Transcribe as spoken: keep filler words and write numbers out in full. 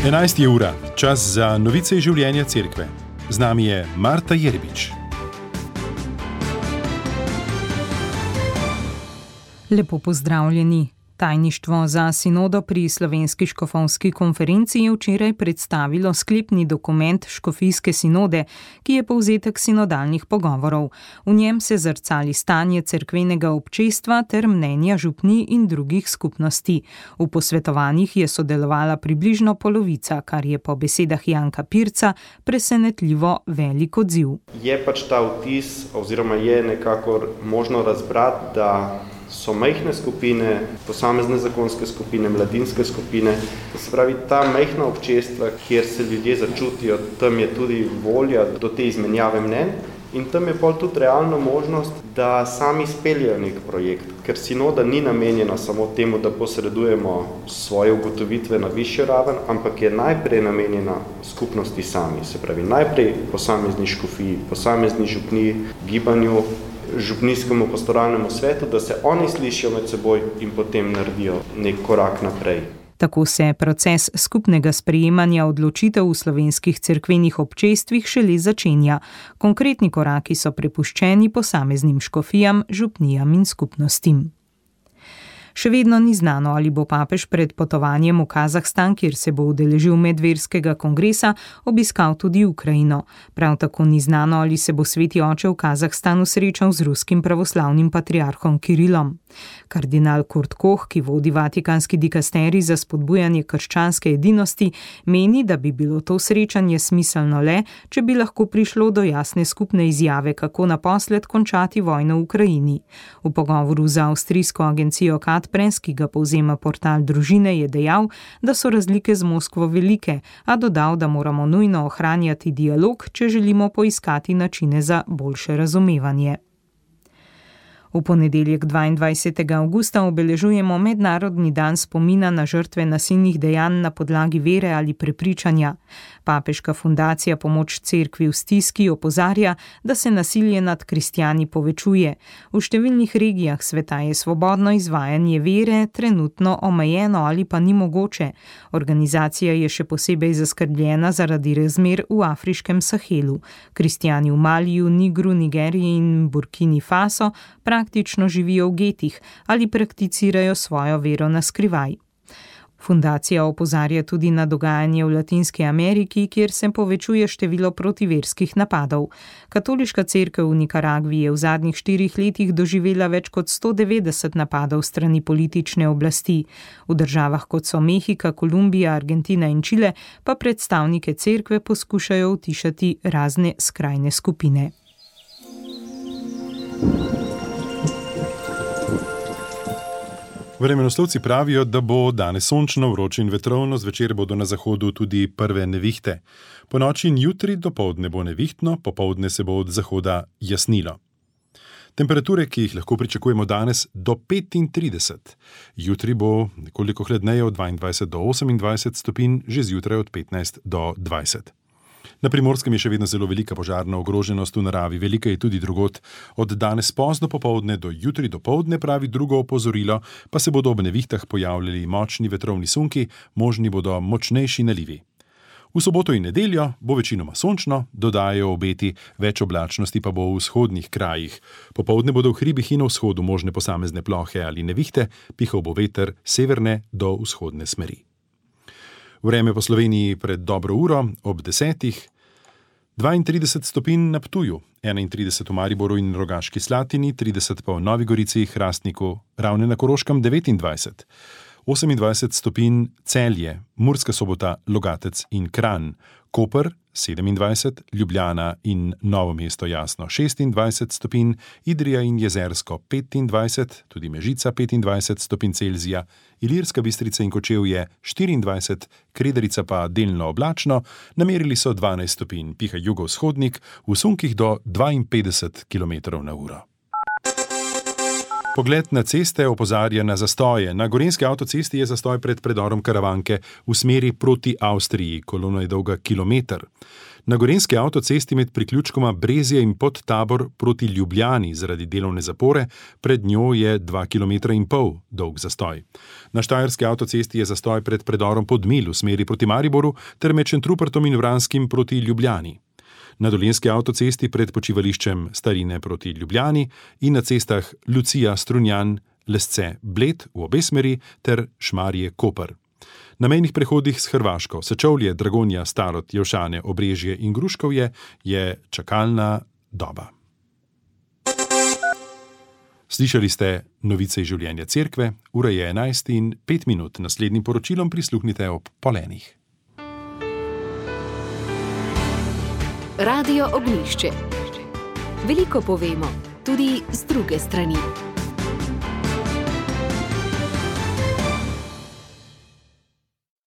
enajsta je ura, čas za novice iz življenja cerkve. Z nami je Marta Jerbič. Lepo pozdravljeni. Tajništvo za sinodo pri Slovenski škofovski konferenci je včeraj predstavilo sklepni dokument škofijske sinode, ki je povzetek sinodalnih pogovorov. V njem se zrcali stanje cerkvenega občestva ter mnenja župnij in drugih skupnosti. V posvetovanjih je sodelovala približno polovica, kar je po besedah Janka Pirca presenetljivo velik odziv. Je pač ta vtis, oziroma je nekako možno razbrati, da so majhne skupine, posamezne zakonske skupine, mladinske skupine, to se pravi ta majhna občestva, kjer se ljudje začutijo, tam je tudi volja do te izmenjave mnenj in tam je pol tudi realna možnost, da sami speljajo nek projekt, ker sinoda ni namenjena samo temu, da posredujemo svoje ugotovitve na višjo raven, ampak je najprej namenjena skupnosti sami, se pravi najprej posamezni škofiji, posamezni župniji, gibanju, župnijskemu pastoralnemu svetu, da se oni slišijo med seboj in potem naredijo nek korak naprej. Tako se proces skupnega sprejemanja odločitev v slovenskih cerkvenih občestvih šele začenja. Konkretni koraki so prepuščeni posameznim škofijam, župnijam in skupnostim. Še vedno ni znano, ali bo papež pred potovanjem v Kazahstan, kjer se bo udeležil medverskega kongresa, obiskal tudi Ukrajino. Prav tako ni znano, ali se bo sveti oče v Kazahstanu srečal z ruskim pravoslavnim patriarhom Kirilom. Kardinal Kurt Koch, ki vodi vatikanski dikasterij za spodbujanje krščanske edinosti, meni, da bi bilo to srečanje smiselno le, če bi lahko prišlo do jasne skupne izjave, kako naposled končati vojno v Ukrajini. V pogovoru z avstrijsko agencijo Kat Prens, ki ga povzema portal Družine, je dejal, da so razlike z Moskvo velike, a dodal, da moramo nujno ohranjati dialog, če želimo poiskati načine za boljše razumevanje. V ponedeljek dvaindvajsetega avgusta obeležujemo mednarodni dan spomina na žrtve nasilnih dejanj na podlagi vere ali prepričanja. Papeška fundacija Pomoč cerkvi v stiski opozarja, da se nasilje nad kristjani povečuje. V številnih regijah sveta je svobodno izvajanje vere trenutno omejeno ali pa ni mogoče. Organizacija je še posebej zaskrbljena zaradi razmer v afriškem Sahelu. Kristjani v Maliju, Nigru, Nigeriji in Burkini Faso praktično živijo v getih ali prakticirajo svojo vero na skrivaj. Fundacija opozarja tudi na dogajanje v Latinski Ameriki, kjer se povečuje število protiverskih napadov. Katoliška cerkev v Nikaragvi je v zadnjih štirih letih doživela več kot sto devetdeset napadov strani politične oblasti. V državah kot so Mehika, Kolumbija, Argentina in Čile pa predstavnike cerkve poskušajo utišati razne skrajne skupine. Vremenoslovci pravijo, da bo danes sončno, vroče in vetrovno, zvečer bodo na zahodu tudi prve nevihte. Po noči in jutri dopoldne bo nevihtno, popoldne se bo od zahoda jasnilo. Temperature, ki jih lahko pričakujemo danes, do petintrideset. Jutri bo nekoliko hladneje od dvaindvajset do osemindvajset stopinj, že zjutraj od petnajst do dvajset. Na Primorskem je še vedno zelo velika požarna ogroženost v naravi, velika je tudi drugod. Od danes pozno popoldne do jutri dopoldne, pravi drugo opozorilo, pa se bodo ob nevihtah pojavljali močni vetrovni sunki, možni bodo močnejši nalivi. V soboto in nedeljo bo večinoma sončno, dodajajo obeti, več oblačnosti pa bo v vzhodnih krajih. Popoldne bodo v hribih in na vzhodu možne posamezne plohe ali nevihte, pihal bo veter severne do vzhodne smeri. Vreme po Sloveniji pred dobro uro, ob desetih, dvaintrideset stopinj na Ptuju, enaintrideset v Mariboru in Rogaški Slatini, trideset pa v Novi Gorici, Hrastniku, Ravne na Koroškem devetindvajset, osemindvajset stopinj Celje, Murska Sobota, Logatec in Kranj, Koper sedemindvajset, Ljubljana in Novo mesto Jasno šestindvajset stopinj, Idrija in Jezersko petindvajset, tudi Mežica petindvajset stopinj Celzija, Ilirska Bistrica in Kočevje štiriindvajset, Kredarica pa delno oblačno, namerili so dvanajst stopinj, piha jugovzhodnik, v sunkih do dvainpetdeset kilometrov na uro. Pogled na ceste opozarja na zastoje. Na gorenjski avtocesti je zastoj pred predorom Karavanke v smeri proti Avstriji, kolona je dolga kilometer. Na gorenjski avtocesti med priključkoma Brezje in Podtabor proti Ljubljani zaradi delovne zapore, pred njo je dva kilometra in pol dolg zastoj. Na štajerski avtocesti je zastoj pred predorom Podmilj v smeri proti Mariboru ter med Šentrupertom in Vranskim proti Ljubljani. Na dolenjski avtocesti pred počivališčem Starine proti Ljubljani in na cestah Lucija, Strunjan, Lesce, Bled v obe smeri ter Šmarje, Koper. Na mejnih prehodih s Hrvaško, Sečovlje, Dragonja, Starod, Jelšane, Obrežje in Gruškovje je čakalna doba. Slišali ste novice iz življenja cerkve, ura je enajst in pet minut. Naslednjim poročilom prisluhnite ob polenih. Radio Ognjišče. Veliko povemo, tudi z druge strani.